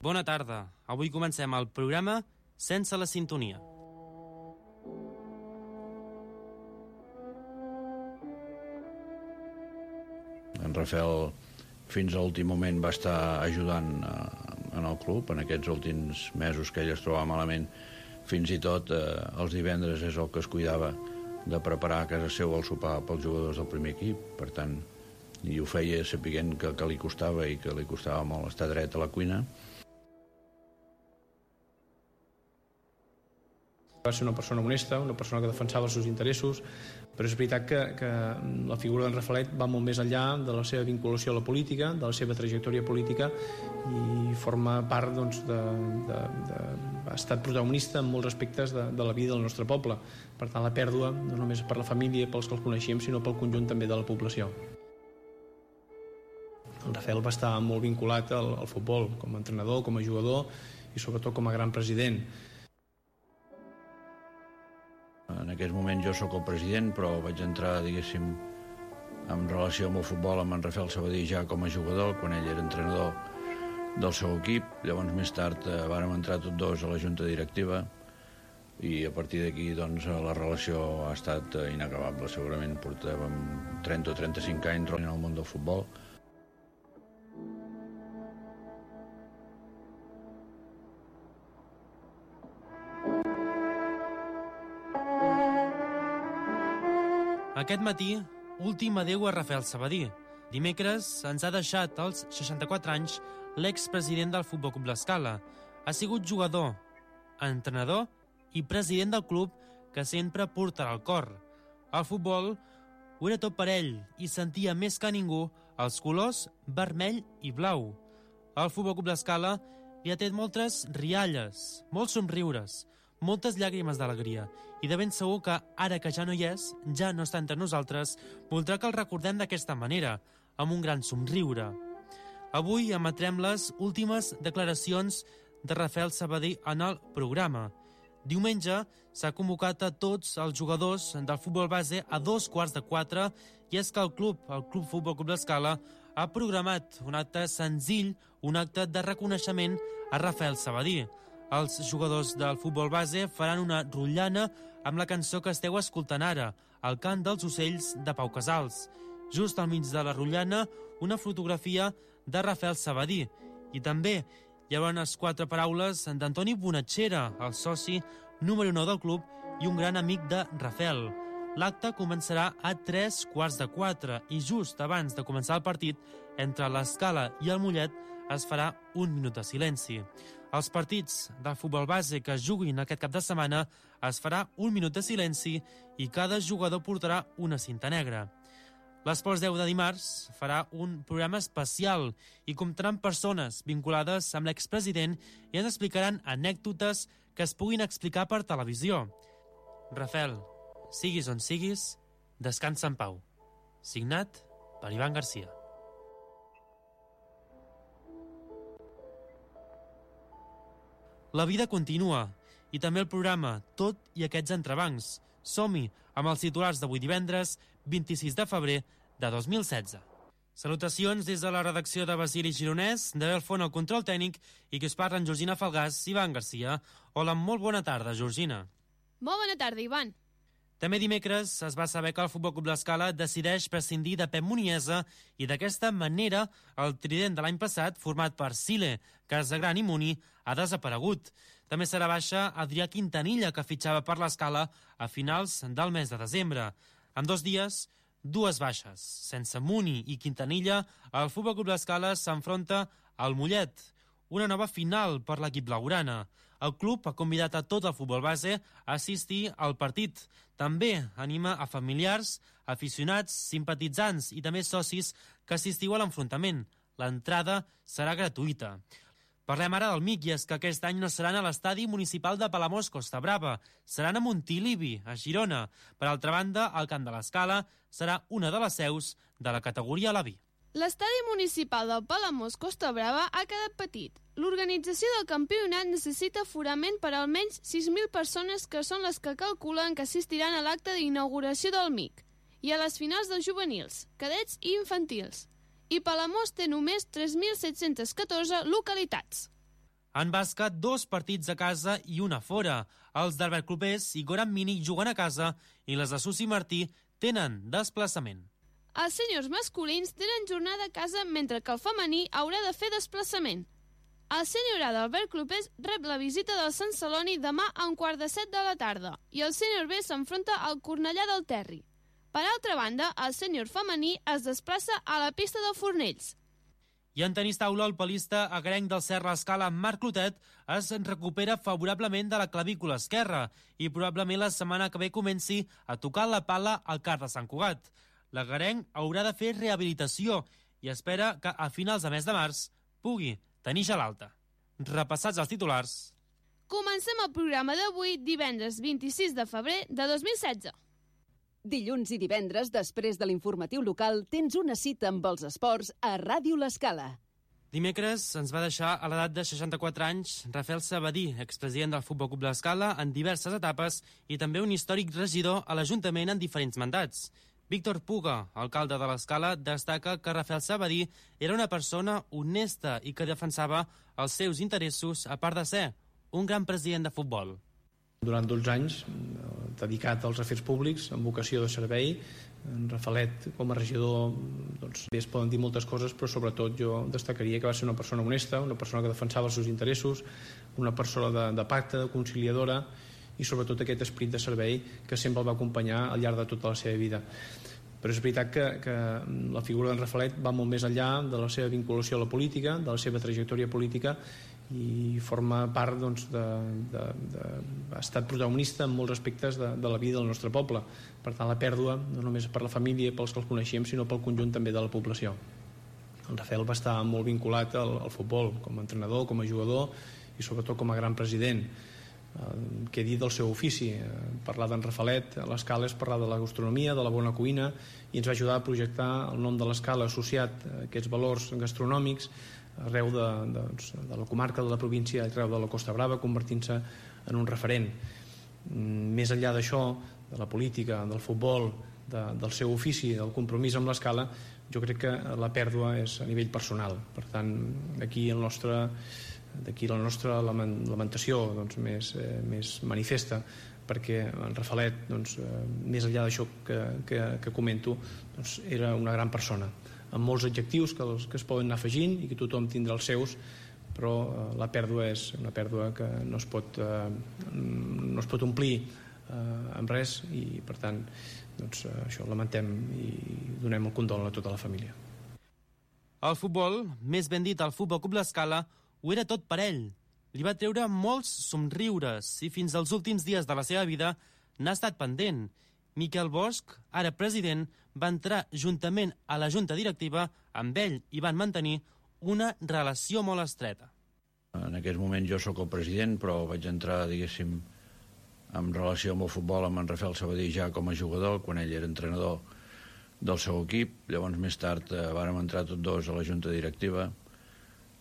Bona tarda. Avui comencem el programa Sense la sintonia. En Rafael fins a l'últim moment va estar ajudant en el club en aquests últims mesos que ell es trobava malament. Fins i tot els divendres és el que es cuidava de preparar a casa seu el sopar pels jugadors del primer equip. Per tant, i ho feia sapiguent que li costava i que li costava molt estar dret a la cuina. Va ser una persona honesta, una persona que defensava els seus interessos, però és veritat que la figura d'en Rafaelet va molt més enllà de la seva vinculació a la política, de la seva trajectòria política, i forma part, doncs, ha estat protagonista en molts aspectes de la vida del nostre poble. Per tant, la pèrdua, no només per la família, pels que els coneixíem, sinó pel conjunt també de la població. En Rafael va estar molt vinculat al futbol, com a entrenador, com a jugador i sobretot com a gran president. En aquest moment jo sóc el president, però vaig entrar, diguéssim, en relació amb el futbol amb en Rafael Sabadí ja com a jugador, quan ell era entrenador del seu equip. Llavors més tard vàrem entrar tots dos a la junta directiva i a partir d'aquí doncs, la relació ha estat inacabable. Segurament portàvem 30 o 35 anys en el món del futbol. Aquest matí, últim adéu a Rafael Sabadí. Dimecres ens ha deixat als 64 anys l'expresident del Futbol Club L'Escala. Ha sigut jugador, entrenador i president del club que sempre portarà al cor. El futbol ho era tot per ell i sentia més que ningú els colors vermell i blau. El Futbol Club L'Escala li ha tret moltes rialles, molts somriures, moltes llàgrimes d'alegria, i de ben segur que, ara que ja no hi és, ja no està entre nosaltres, voldrà que el recordem d'aquesta manera, amb un gran somriure. Avui emetrem les últimes declaracions de Rafael Sabadí en el programa. Diumenge s'ha convocat a tots els jugadors del futbol base a 3:45, i és que el Club Futbol Club L'Escala, ha programat un acte senzill, un acte de reconeixement a Rafael Sabadí. Els jugadors del futbol base faran una rotllana amb la cançó que esteu escoltant ara, El cant dels ocells de Pau Casals. Just al mig de la rotllana, una fotografia de Rafael Sabadí. I també hi haurà unes 4 paraules d'Antoni Bonatxera, el soci número 9 del club i un gran amic de Rafael. L'acte començarà a 3:45 i just abans de començar el partit, entre l'Escala i el Mollet, es farà un minut de silenci. Als partits del futbol base que juguin aquest cap de setmana es farà un minut de silenci i cada jugador portarà una cinta negra. L'Esports 10 de dimarts farà un programa especial i comptaran persones vinculades amb l'expresident i ens explicaran anècdotes que es puguin explicar per televisió. Rafael, siguis on siguis, descansa en pau. Signat per Ivan Garcia. La vida continua, i també el programa, tot i aquests entrebancs. Som-hi amb els titulars d'avui divendres, 26 de febrer de 2016. Salutacions des de la redacció de Basili Gironès, de Belfont al control tècnic, i que us parlen Georgina Falgàs i Ivan Garcia. Hola, molt bona tarda, Georgina. Molt bona tarda, Ivan. També dimecres es va saber que el Futbol Club L'Escala decideix prescindir de Pep Muniesa i d'aquesta manera el trident de l'any passat, format per Sile, Casagran i Muni, ha desaparegut. També serà baixa Adrià Quintanilla, que fitxava per l'Escala a finals del mes de desembre. En 2 dies, 2 baixes. Sense Muni i Quintanilla, el Futbol Club L'Escala s'enfronta al Mollet. Una nova final per l'equip blaugrana. El club ha convidat a tot el futbol base a assistir al partit. També anima a familiars, aficionats, simpatitzants i també socis que assistiu a l'enfrontament. L'entrada serà gratuïta. Parlem ara del MIC, i és que aquest any no seran a l'estadi municipal de Palamós Costa Brava, seran a Montilivi, a Girona. Per altra banda, el Camp de l'Escala serà una de les seus de la categoria Lavi. L'estadi municipal del Palamós Costa Brava ha quedat petit. L'organització del campionat necessita aforament per almenys 6.000 persones, que són les que calculen que assistiran a l'acte d'inauguració del MIC i a les finals dels juvenils, cadets i infantils. I Palamós té només 3.714 localitats. En bàsquet, 2 partits a casa i 1 a fora. Els d'Albert Clopés i Goran Mini juguen a casa i les de Susi Martí tenen desplaçament. Els sèniors masculins tenen jornada a casa mentre que el femení haurà de fer desplaçament. El sènior A d'Albert Clopés rep la visita del Sant Celoni demà a 6:45 de la tarda i el sènior B s'enfronta al Cornellà del Terri. Per altra banda, el sènior femení es desplaça a la pista de Fornells. I en tenis taula, el palista agrenc del Serra Escala, Marc Clotet, es recupera favorablement de la clavícula esquerra i probablement la setmana que ve comenci a tocar la pala al CAR de Sant Cugat. L'agrenc haurà de fer rehabilitació i espera que a finals de mes de març pugui tenir ja l'alta. Repassats els titulars. Comencem el programa d'avui, divendres 26 de febrer de 2016. Dilluns i divendres, després de l'informatiu local, tens una cita amb els esports a Ràdio L'Escala. Dimecres ens va deixar a l'edat de 64 anys Rafael Sabadí, expresident del Futbol Club L'Escala en diverses etapes i també un històric regidor a l'Ajuntament en diferents mandats. Víctor Puga, alcalde de l'Escala, destaca que Rafael Sabadí era una persona honesta i que defensava els seus interessos a part de ser un gran president de futbol. Durant 12 anys, dedicat als afers públics, amb vocació de servei, en Rafalet, com a regidor, doncs, bé, es poden dir moltes coses, però sobretot jo destacaria que va ser una persona honesta, una persona que defensava els seus interessos, una persona de pacte, de conciliadora, i sobretot aquest esperit de servei que sempre el va acompanyar al llarg de tota la seva vida. Però és veritat que la figura d'en Rafalet va molt més enllà de la seva vinculació a la política, de la seva trajectòria política, i forma part, doncs, ha estat protagonista en molts aspectes de la vida del nostre poble. Per tant, la pèrdua, no només per la família i pels que els coneixíem, sinó pel conjunt també de la població. En Rafael va estar molt vinculat al futbol, com a entrenador, com a jugador i sobretot com a gran president. Què dir del seu ofici? Parlar d'en Rafalet a l'Escala és parlar de la gastronomia, de la bona cuina, i ens va ajudar a projectar el nom de l'Escala associat a aquests valors gastronòmics arreu de la comarca, de la província, arreu de la Costa Brava, convertint-se en un referent. Més enllà d'això, de la política, del futbol, del seu ofici, del compromís amb l'Escala, jo crec que la pèrdua és a nivell personal. Per tant, d'aquí la nostra lamentació, doncs, més manifesta, perquè en Rafalet, doncs, més enllà d'això que comento, doncs, era una gran persona, amb molts adjectius que es poden anar afegint i que tothom tindrà els seus, però la pèrdua és una pèrdua que no es pot omplir amb res, i per tant, doncs, això lamentem i donem el condol a tota la família. El futbol, més ben dit el Futbol Club L'Escala, ho era tot per ell. Li va treure molts somriures i fins als últims dies de la seva vida n'ha estat pendent. Miquel Bosch, ara president, va entrar juntament a la junta directiva amb ell i van mantenir una relació molt estreta. En aquest moment jo sóc el president, però vaig entrar, diguéssim, en relació amb el futbol amb en Rafael Sabadí ja com a jugador, quan ell era entrenador del seu equip. Llavors, més tard, vàrem entrar tots dos a la junta directiva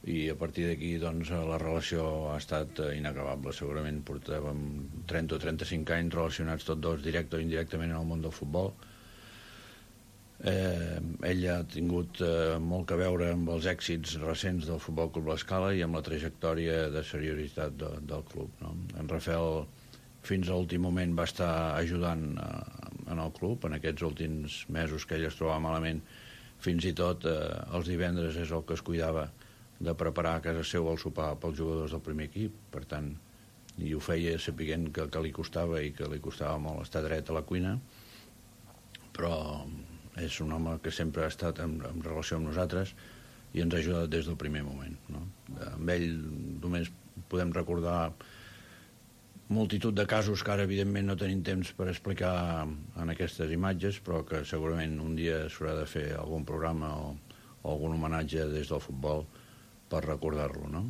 i a partir d'aquí, doncs, la relació ha estat inacabable. Segurament portàvem 30 o 35 anys relacionats tots dos, directe o indirectament, en el món del futbol. Ell ha tingut molt a veure amb els èxits recents del Futbol Club L'Escala i amb la trajectòria de seriositat del club, no? En Rafael, fins a l'últim moment, va estar ajudant en el club, en aquests últims mesos que ell es trobava malament. Fins i tot els divendres és el que es cuidava de preparar a casa seu el sopar pels jugadors del primer equip. Per tant, i ho feia sapiguent que li costava i que li costava molt estar dret a la cuina, però és un home que sempre ha estat en relació amb nosaltres i ens ha ajudat des del primer moment, no? Amb ell només podem recordar multitud de casos que ara evidentment no tenim temps per explicar en aquestes imatges, però que segurament un dia s'haurà de fer algun programa o algun homenatge des del futbol per recordar-lo, no?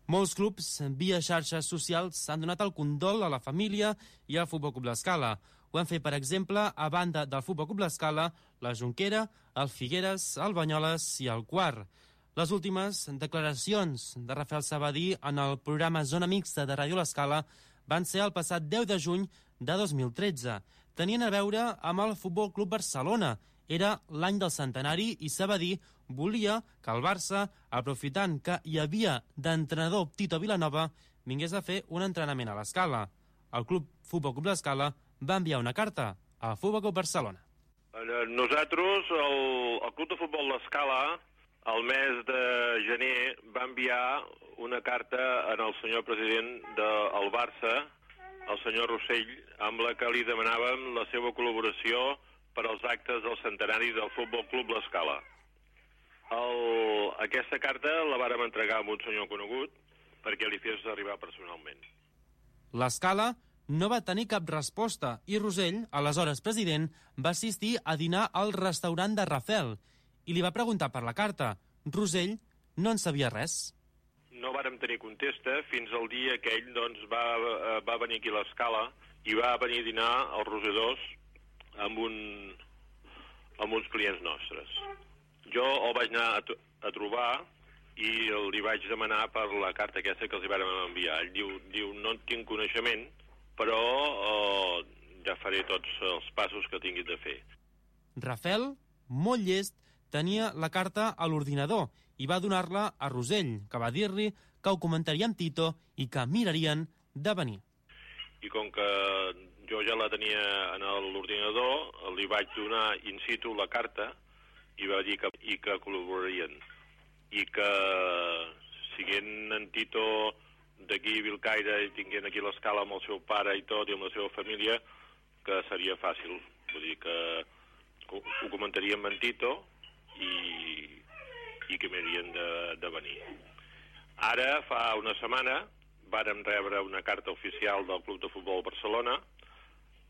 Molts clubs via xarxes socials han donat el condol a la família i al Futbol Club L'Escala. Ho han fet, per exemple, a banda del Futbol Club L'Escala, la Jonquera, el Figueres, el Banyoles i el Quart. Les últimes declaracions de Rafael Sabadí en el programa Zona Mixta de Ràdio L'Escala van ser el passat 10 de juny de 2013. Tenien a veure amb el Futbol Club Barcelona. Era l'any del centenari i Sabadí volia que el Barça, aprofitant que hi havia d'entrenador Tito Vilanova, vingués a fer un entrenament a l'Escala. El Futbol Club l'Escala va enviar una carta al Futbol Club Barcelona. Nosaltres, el Club de Futbol l'Escala, el mes de gener, va enviar una carta al senyor president del Barça, el senyor Rossell, amb la que li demanàvem la seva col·laboració per als actes del centenari del Futbol Club l'Escala. Aquesta carta la vàrem entregar a un senyor conegut perquè li fes arribar personalment. L'Escala no va tenir cap resposta i Rosell, aleshores president, va assistir a dinar al restaurant de Rafel i li va preguntar per la carta. Rosell no en sabia res. No vàrem tenir contesta fins al dia que ell va venir aquí a l'Escala i va venir a dinar als rosedors amb uns clients nostres. Jo el vaig anar a trobar i li vaig demanar per la carta aquesta que els hi vàrem enviar. Ell diu no en tinc coneixement, però ja faré tots els passos que tinguin de fer. Rafel, molt llest, tenia la carta a l'ordinador i va donar-la a Rosell, que va dir-li que ho comentaria amb Tito i que mirarien de venir. I com que jo ja la tenia en l'ordinador, li vaig donar in situ la carta i va dir que col·laborarien. I que, siguent en Tito d'aquí a Vilcaire i tinguent aquí l'Escala amb el seu pare i tot, i amb la seva família, que seria fàcil. Vull dir que ho comentaríem amb Tito i que m'haurien de venir. Ara, fa una setmana, vàrem rebre una carta oficial del Club de Futbol Barcelona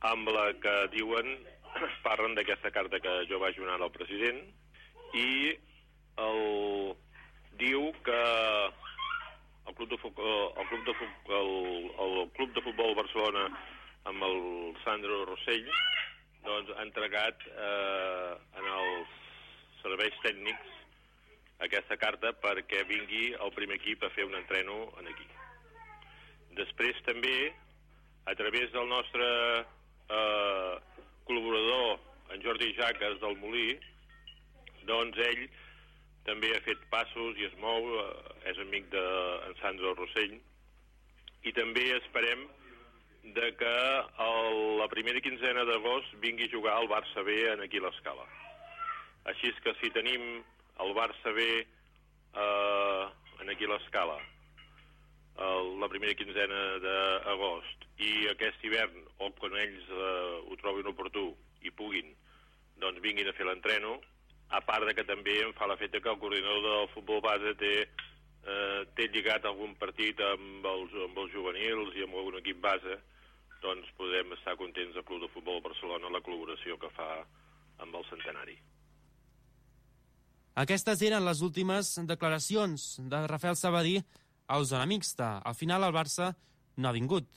amb la que parlen d'aquesta carta que jo vaig donar al president i diu que el Club de Futbol Barcelona amb el Sandro Rossell ha entregat en els serveis tècnics aquesta carta perquè vingui el primer equip a fer un entreno aquí. Després també, a través del nostre col·laborador, en Jordi Jaques del Molí, doncs ell també ha fet passos i es mou, és amic d'en Sandro Rossell, i també esperem que la primera quinzena d'agost vingui a jugar al Barça B aquí a l'Escala. Així que si tenim el Barça B aquí a l'Escala la primera quinzena d'agost i aquest hivern, o quan ells ho trobin oportú i puguin, doncs vinguin a fer l'entreno, a part que també em fa l'efecte que el coordinador del futbol base té lligat algun partit amb els juvenils i amb algun equip base, doncs podem estar contents del Club de Futbol Barcelona la col·laboració que fa amb el centenari. Aquestes eren les últimes declaracions de Rafael Sabadí a Osona Mixta. Al final el Barça no ha vingut.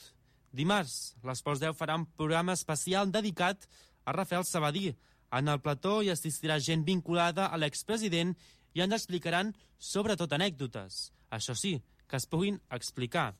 Dimarts, l'Esports 10 farà un programa especial dedicat a Rafael Sabadí. En el plató hi assistirà gent vinculada a l'expresident i ens explicaran sobretot anècdotes. Això sí, que es puguin explicar.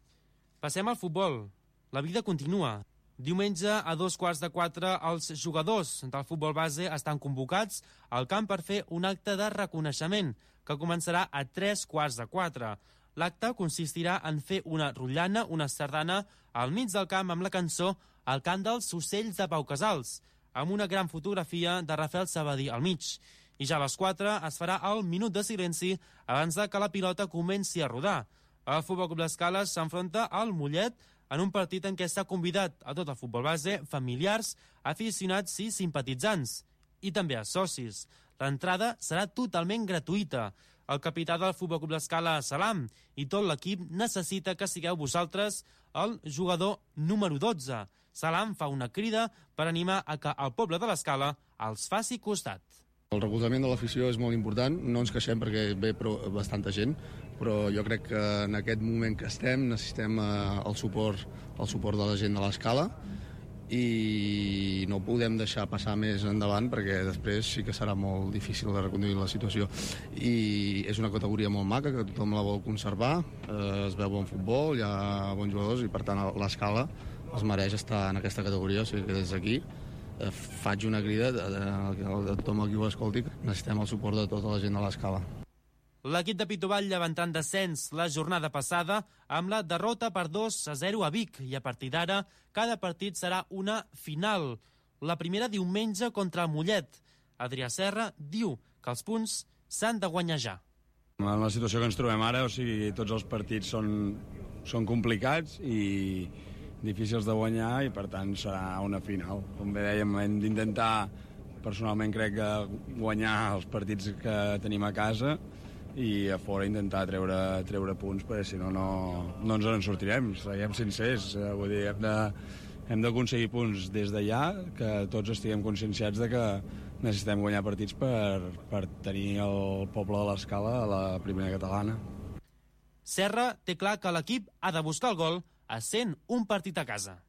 Passem al futbol. La vida continua. Diumenge a 3:15 els jugadors del futbol base estan convocats al camp per fer un acte de reconeixement que començarà a 3:15. L'acte consistirà en fer una rotllana, una sardana, al mig del camp amb la cançó El cant dels ocells de Pau Casals, amb una gran fotografia de Rafael Sabadí al mig. I ja a les 4 es farà el minut de silenci abans que la pilota comenci a rodar. El Futbol Club l'Escala s'enfronta al Mollet en un partit en què s'ha convidat a tot el futbol base, familiars, aficionats i simpatitzants, i també a socis. L'entrada serà totalment gratuïta. El capità del Futbol Club l'Escala, Salam, i tot l'equip necessita que sigueu vosaltres el jugador número 12. Salam fa una crida per animar a que el poble de l'Escala els faci costat. El recolzament de l'afició és molt important, no ens queixem perquè ve bastanta gent, però jo crec que en aquest moment que estem necessitem el suport de la gent de l'Escala i no podem deixar passar més endavant perquè després sí que serà molt difícil de reconduir la situació. I és una categoria molt maca que tothom la vol conservar, es veu bon futbol, hi ha bons jugadors i per tant l'Escala es mereix estar en aquesta categoria, o sigui que des d'aquí faig una crida a tothom qui ho escolti. Necessitem el suport de tota la gent de l'Escala. L'equip de Pitoball llevant descens la jornada passada amb la derrota per 2-0 a Vic i a partir d'ara cada partit serà una final. La primera diumenge contra el Mollet. Adrià Serra diu que els punts s'han de guanyar ja. En la situació que ens trobem ara, o sigui, tots els partits són complicats i difícils de guanyar i per tant serà una final. Com bé dèiem, hem d'intentar, personalment crec que guanyar els partits que tenim a casa i a fora intentar treure punts perquè si no ens en sortirem, siguem sincers, vull dir, hem d'aconseguir punts des d'allà, que tots estiguem conscienciats de que necessitem guanyar partits per tenir el poble de l'Escala a la primera catalana. Serra té clar que l'equip ha de buscar el gol essent un partit a casa.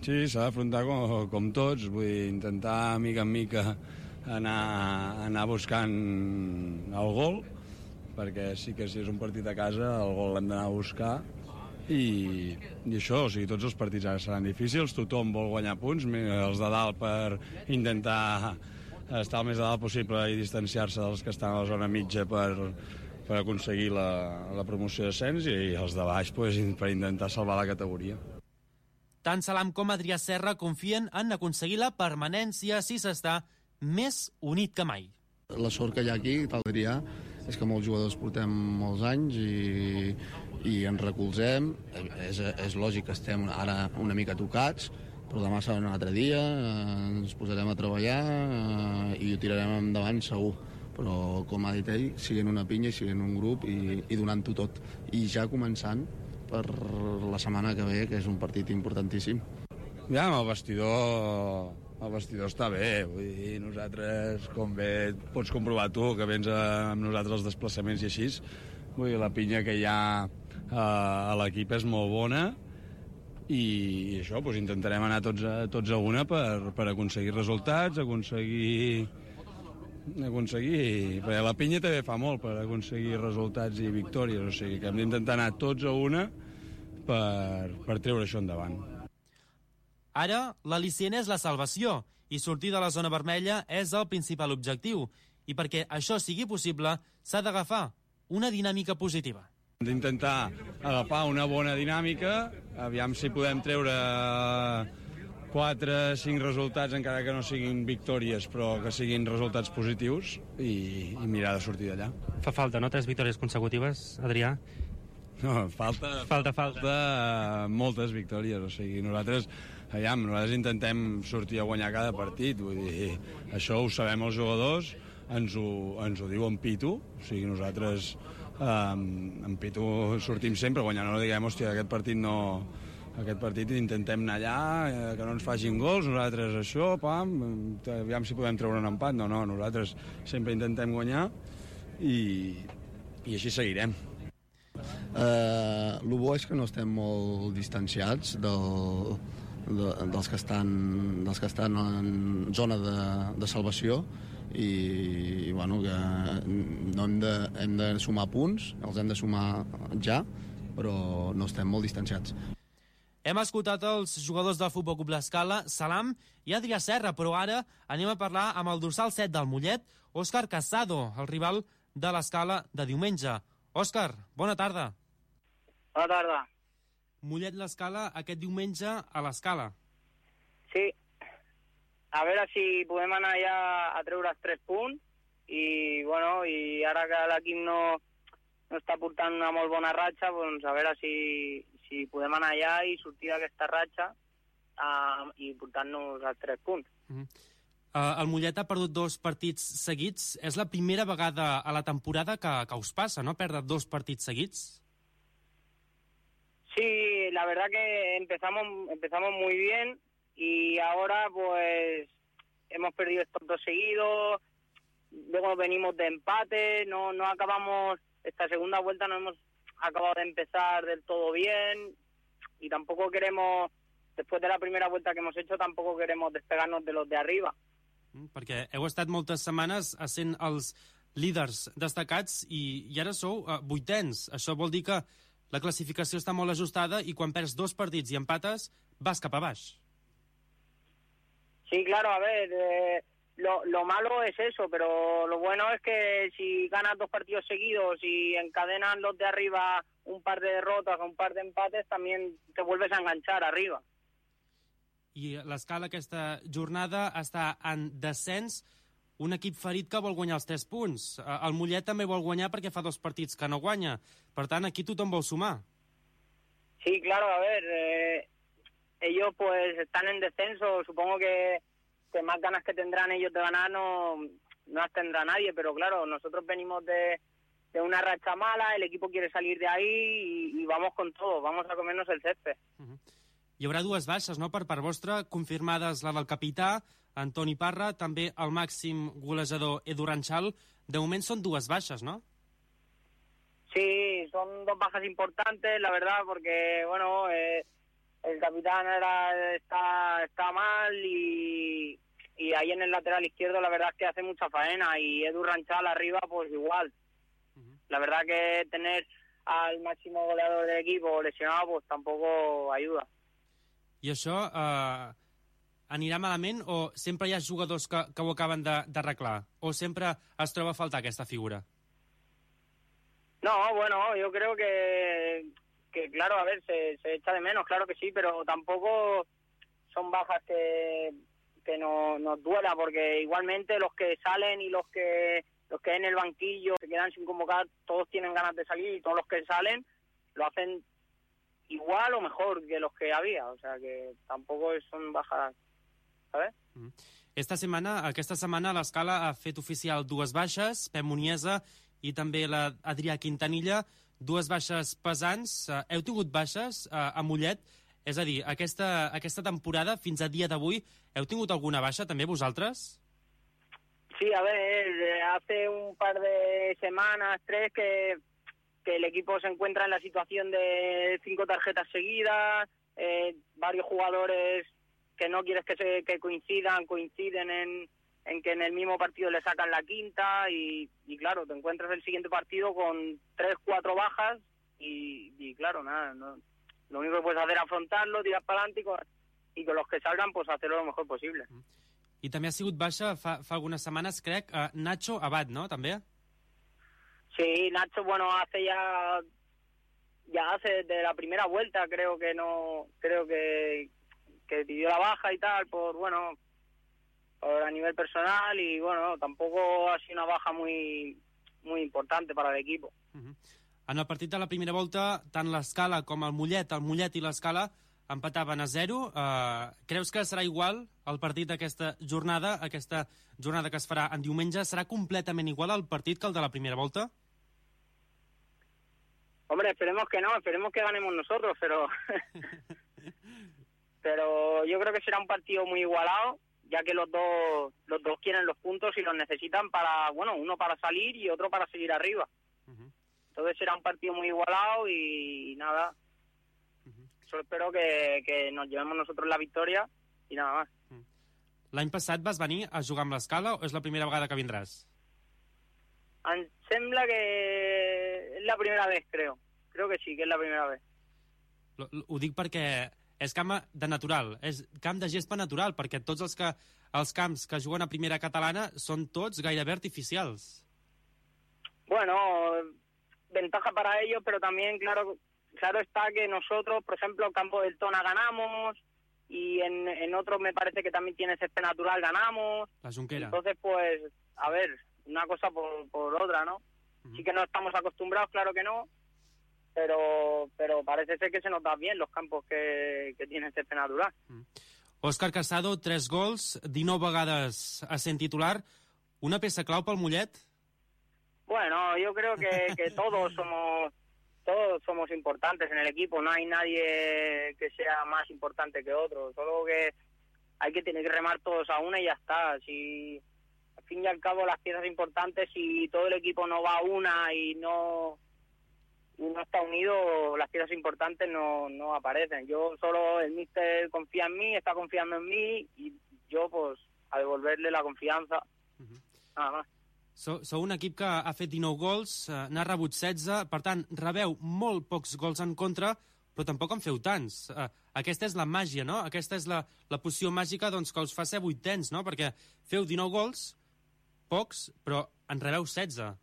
Sí, s'ha d'afrontar com tots, vull dir, intentar mica en mica anar buscant el gol, perquè sí que si és un partit a casa el gol l'hem d'anar a buscar i això, o sigui, tots els partits ara seran difícils, tothom vol guanyar punts, els de dalt per intentar estar el més a dalt possible i distanciar-se dels que estan a la zona mitja per aconseguir la promoció d'ascens i els de baix per intentar salvar la categoria. Tant Salam com Adrià Serra confien en aconseguir la permanència si s'està més unit que mai. La sort que hi ha aquí, tal Adrià, és que molts jugadors portem molts anys i ens recolzem. És lògic que estem ara una mica tocats, però demà serà un altre dia, ens posarem a treballar i ho tirarem endavant segur. Però, com ha dit ell, siguin una pinya i siguin un grup i donant-ho tot. I ja començant per la setmana que ve, que és un partit importantíssim. Ja, amb el vestidor està bé, vull dir, nosaltres, com bé pots comprovar tu, que vens amb nosaltres els desplaçaments i així, vull dir, la pinya que hi ha a l'equip és molt bona i això, doncs intentarem anar tots a una per aconseguir resultats, perquè la pinya també fa molt per aconseguir resultats i victòries, o sigui que hem d'intentar anar tots a una per treure això endavant. Ara, l'al·licient és la salvació i sortir de la zona vermella és el principal objectiu. I perquè això sigui possible, s'ha d'agafar una dinàmica positiva. Hem d'intentar agafar una bona dinàmica, aviam si podem treure 4-5 resultats, encara que no siguin victòries, però que siguin resultats positius i mirar de sortir d'allà. Fa falta, no?, 3 victòries consecutives, Adrià? No, falta moltes victòries, o sigui, nosaltres intentem sortir a guanyar cada partit, vull dir, això ho sabem els jugadors, ens ho diu en Pitu, o sigui, nosaltres en Pitu sortim sempre guanyant, no diguem, hòstia, aquest partit intentem anar allà, que no ens facin gols, nosaltres això, aviam si podem treure un empat, no, nosaltres sempre intentem guanyar i així seguirem. El bo és que no estem molt distanciats dels que estan en zona de salvació i bueno, que no hem de sumar punts, els hem de sumar ja, però no estem molt distanciats. Hem escoltat els jugadors del Futbol Club l'Escala, Salam i Adrià Serra, però ara anem a parlar amb el dorsal 7 del Mollet, Òscar Casado, el rival de l'Escala de diumenge. Òscar, bona tarda. Bona tarda. Mollet l'Escala aquest diumenge a l'Escala. Sí. A veure si podem anar ja a treure els 3 punts i, bueno, i ara que l'equip no està portant una molt bona ratxa, doncs a veure si podem anar allà i sortir d'aquesta ratxa i portar-nos els 3 punts. El Mollet ha perdut 2 partits seguits. És la primera vegada a la temporada que us passa, ¿no?, perdre 2 partits seguits. Sí, la verdad que empezamos muy bien y ahora pues hemos perdido estos 2 seguidos, luego venimos de empate, no acabamos, esta segunda vuelta no hemos acabado de empezar del todo bien y tampoco queremos, después de la primera vuelta que hemos hecho, tampoco queremos despegarnos de los de arriba. Perquè heu estat moltes setmanes sent els líders destacats i ara sou 8ens. Això vol dir que la classificació està molt ajustada i quan perds 2 partits i empates vas cap a baix. Sí, claro, a ver, lo malo es eso, pero lo bueno es que si ganas 2 partidos seguidos y encadenan los de arriba un par de derrotas o un par de empates, también te vuelves a enganchar arriba. I l'Escala aquesta jornada està en descens, un equip ferit que vol guanyar els 3 punts. El Mollet també vol guanyar perquè fa 2 partits que no guanya. Per tant, aquí tothom vol sumar. Sí, claro, a ver, ellos pues están en descenso, supongo que más ganas que tendrán ellos de ganar no las tendrá nadie, pero claro, nosotros venimos de una racha mala, el equipo quiere salir de ahí y vamos con todo, vamos a comernos el césped. Hi haurà 2 baixes, no?, per part vostra, confirmades la del capità, Antoni Parra, també el màxim golejador Edu Ranchal. De moment són 2 baixes, ¿no? Sí, son 2 bajas importantes, la verdad, porque, bueno, el capitán está mal y ahí en el lateral izquierdo la verdad es que hace mucha faena y Edu Ranchal arriba pues igual. La verdad que tener al máximo goleador del equipo lesionado pues tampoco ayuda. I això anirà malament o sempre hi ha jugadors que ho acaben d'arreglar? O sempre es troba a faltar aquesta figura? No, bueno, yo creo que claro, a ver, se echa de menos, claro que sí, pero tampoco son bajas que nos duela, porque igualmente los que salen y los que en el banquillo se quedan sin convocar, todos tienen ganas de salir y todos los que salen lo hacen igual o mejor que los que había, o sea que tampoco son bajas, ¿sabes? Aquesta setmana l'Escala ha fet oficial 2 baixes, Pep Muniesa i també l'Adrià Quintanilla, 2 baixes pesants. Heu tingut baixes a Mollet? És a dir, aquesta temporada, fins a dia d'avui, heu tingut alguna baixa també vosaltres? Sí, a ver, hace un par de semanas, 3, que el equipo se encuentra en la situación de 5 tarjetas seguidas, varios jugadores que no quieres que coinciden en que en el mismo partido le sacan la quinta y claro, te encuentras el siguiente partido con 3, 4 bajas y claro, nada, no, lo único que puedes hacer es afrontarlo, tirar para adelante y con los que salgan pues hacerlo lo mejor posible. I també ha sigut baixa fa algunes setmanes, crec, Nacho Abad, ¿no?, també? Sí, Nacho, bueno, hace desde la primera vuelta, creo que pidió la baja y tal, por a nivel personal y bueno, tampoco ha sido una baja muy importante para el equipo. En el partit de la primera volta, tant l'Escala com el Mollet i l'Escala empataven a 0. Creus que serà igual el partit d'aquesta jornada, que es farà en diumenge? Serà completament igual el partit que el de la primera volta? Hombre, esperemos que no, esperemos que ganemos nosotros, pero yo creo que será un partido muy igualado, ya que los dos quieren los puntos y los necesitan para, bueno, uno para salir y otro para seguir arriba. Entonces será un partido muy igualado y nada. Solo espero que nos llevemos nosotros la victoria i nada más. L'any passat vas venir a jugar amb l'Escala o és la primera vegada que vindràs? Em sembla que és la primera vez, creo. Creo que sí, que és la primera vez. Ho dic perquè és camp de natural, és camp de gespa natural, perquè tots els camps que juguen a primera catalana són tots gairebé artificials. Bueno, ventaja para ellos, pero también, claro está que nosotros, por ejemplo, el campo del Tona ganamos y en otros me parece que también tiene césped natural, ganamos. La Junquera. Entonces, pues, a ver, una cosa por otra, ¿no? Sí que no estamos acostumbrados, claro que no, pero parece ser que se nos da bien los campos que tienen césped natural. Òscar Casado, 3 gols, 19 vegades a ser titular. Una peça clau pel Mollet? Bueno, yo creo que todos somos importantes en el equipo, no hay nadie que sea más importante que otro, solo que hay que tener que remar todos a una y ya está. Si al fin y al cabo las piezas importantes, si todo el equipo no va a una y no está unido, las piezas importantes no aparecen. Yo solo, el míster confía en mí, está confiando en mí y yo pues a devolverle la confianza, nada más. Sou un equip que ha fet 19 gols, n'ha rebut 16, per tant, rebeu molt pocs gols en contra, però tampoc en feu tants. Aquesta és la màgia, no? Aquesta és la poció màgica doncs, que us fa ser 8ens, no? Perquè feu 19 gols, pocs, però en rebeu 16.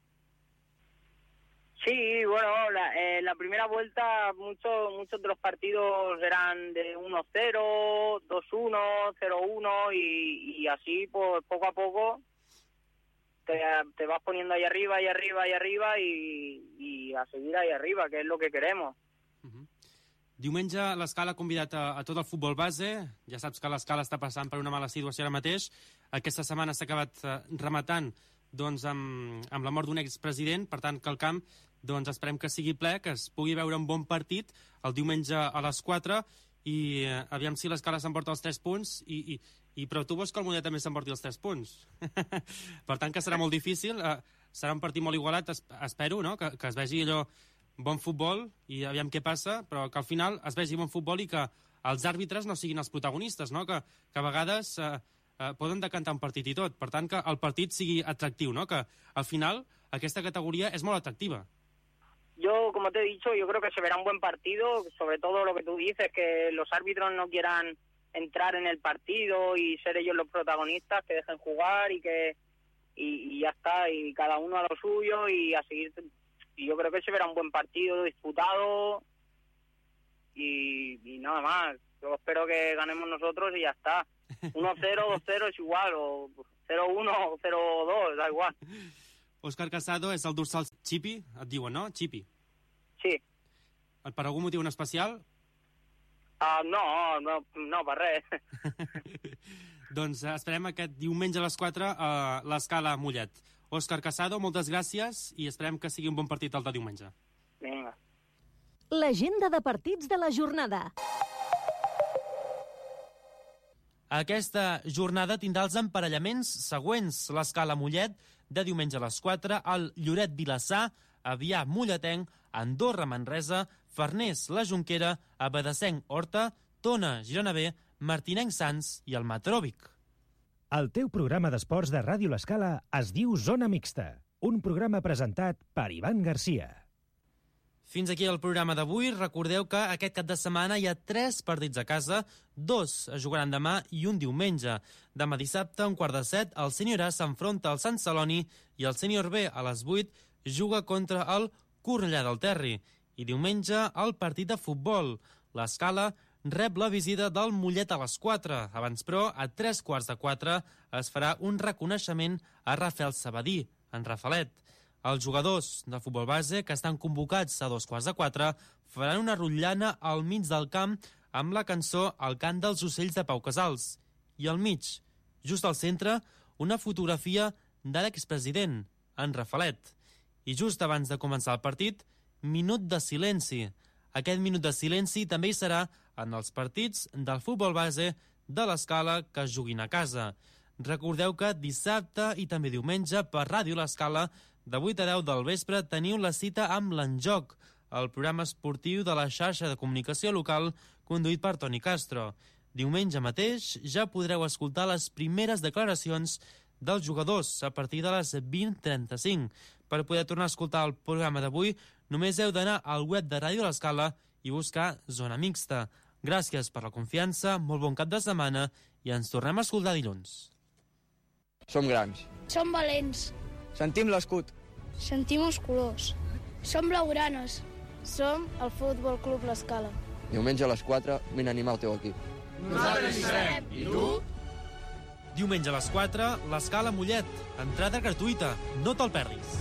Sí, bueno, la primera vuelta muchos de los partidos eran de 1-0, 2-1, 0-1 y así pues poco a poco te vas poniendo ahí arriba y a seguir ahí arriba, que es lo que queremos. Diumenge l'Escala ha convidat a tot el futbol base. Ja saps que l'Escala està passant per una mala situació ara mateix. Aquesta setmana s'ha acabat rematant doncs, amb la mort d'un expresident, per tant que el camp doncs, esperem que sigui ple, que es pugui veure un bon partit el diumenge a les 4 i aviam si l'Escala s'emporta els 3 punts però tu vols que el Mollet també s'emporti els 3 punts. Per tant que serà molt difícil, serà un partit molt igualat, espero, no? que es vegi allò bon futbol i aviam què passa, però que al final es vegi bon futbol i que els àrbitres no siguin els protagonistes, no? Que a vegades poden decantar un partit i tot. Per tant, que el partit sigui atractiu, no? Que al final aquesta categoría es molt atractiva. Yo, como te he dicho, yo creo que se verá un buen partido, sobre todo lo que tú dices, que los árbitros no quieran entrar en el partido y ser ellos los protagonistas, que dejen jugar y ya está, y cada uno a lo suyo y a seguir. Y yo creo que se verá un buen partido disputado y nada más. Yo espero que ganemos nosotros y ya está. 1-0, 2-0 es igual, o 0-1 o 0-2, da igual. Òscar Casado és el dorsal Chipi, et diuen, no? Chipi. Sí. Per algun motiu en especial? No, per res. Doncs esperem aquest diumenge a les 4 a l'Escala Mollet. Òscar Casado, moltes gràcies i esperem que sigui un bon partit el de diumenge. Vinga. L'agenda de partits de la jornada. Aquesta jornada tindrà els emparellaments següents. L'Escala Mollet, de diumenge a les 4, el Lloret Vilassar, Avià Molletenc, Andorra Manresa, Farners La Jonquera, Abadesenc Horta, Tona Girona B, Martinenc Sants i el Matròvic. El teu programa d'esports de Ràdio L'Escala es diu Zona Mixta, un programa presentat per Ivan Garcia. Fins aquí el programa d'avui. Recordeu que aquest cap de setmana hi ha 3 partits a casa, 2 es jugaran demà i un diumenge. Demà dissabte, a 6:45, el Sènior A s'enfronta al Sant Celoni i el Sènior B a les 8 juga contra el Cornellà del Terri. I diumenge, el partit de futbol. L'Escala rep la visita del Mollet a les 4. Abans, però, a 3:15 es farà un reconeixement a Rafael Sabadí, en Rafalet. Els jugadors de futbol base, que estan convocats a 3:15, faran una rotllana al mig del camp amb la cançó El cant dels ocells de Pau Casals. I al mig, just al centre, una fotografia de l'expresident, en Rafalet. I just abans de començar el partit, minut de silenci. Aquest minut de silenci també hi serà en els partits del futbol base de l'Escala que es juguin a casa. Recordeu que dissabte i també diumenge per Ràdio L'Escala de 8 a 10 del vespre teniu la cita amb l'Enjoc, el programa esportiu de la xarxa de comunicació local conduït per Toni Castro. Diumenge mateix ja podreu escoltar les primeres declaracions dels jugadors a partir de les 20:35. Per poder tornar a escoltar el programa d'avui, només heu d'anar al web de Ràdio L'Escala i buscar Zona Mixta. Gràcies per la confiança, molt bon cap de setmana i ens tornem a escoltar dilluns. Som grans. Som valents. Sentim l'escut. Sentim els colors. Som blaugranes. Som el Futbol Club L'Escala. Diumenge a les 4, vine a animar el teu equip. Nosaltres hi serem. I tu? Diumenge a les 4, l'Escala Mollet. Entrada gratuïta. No te'l perdis.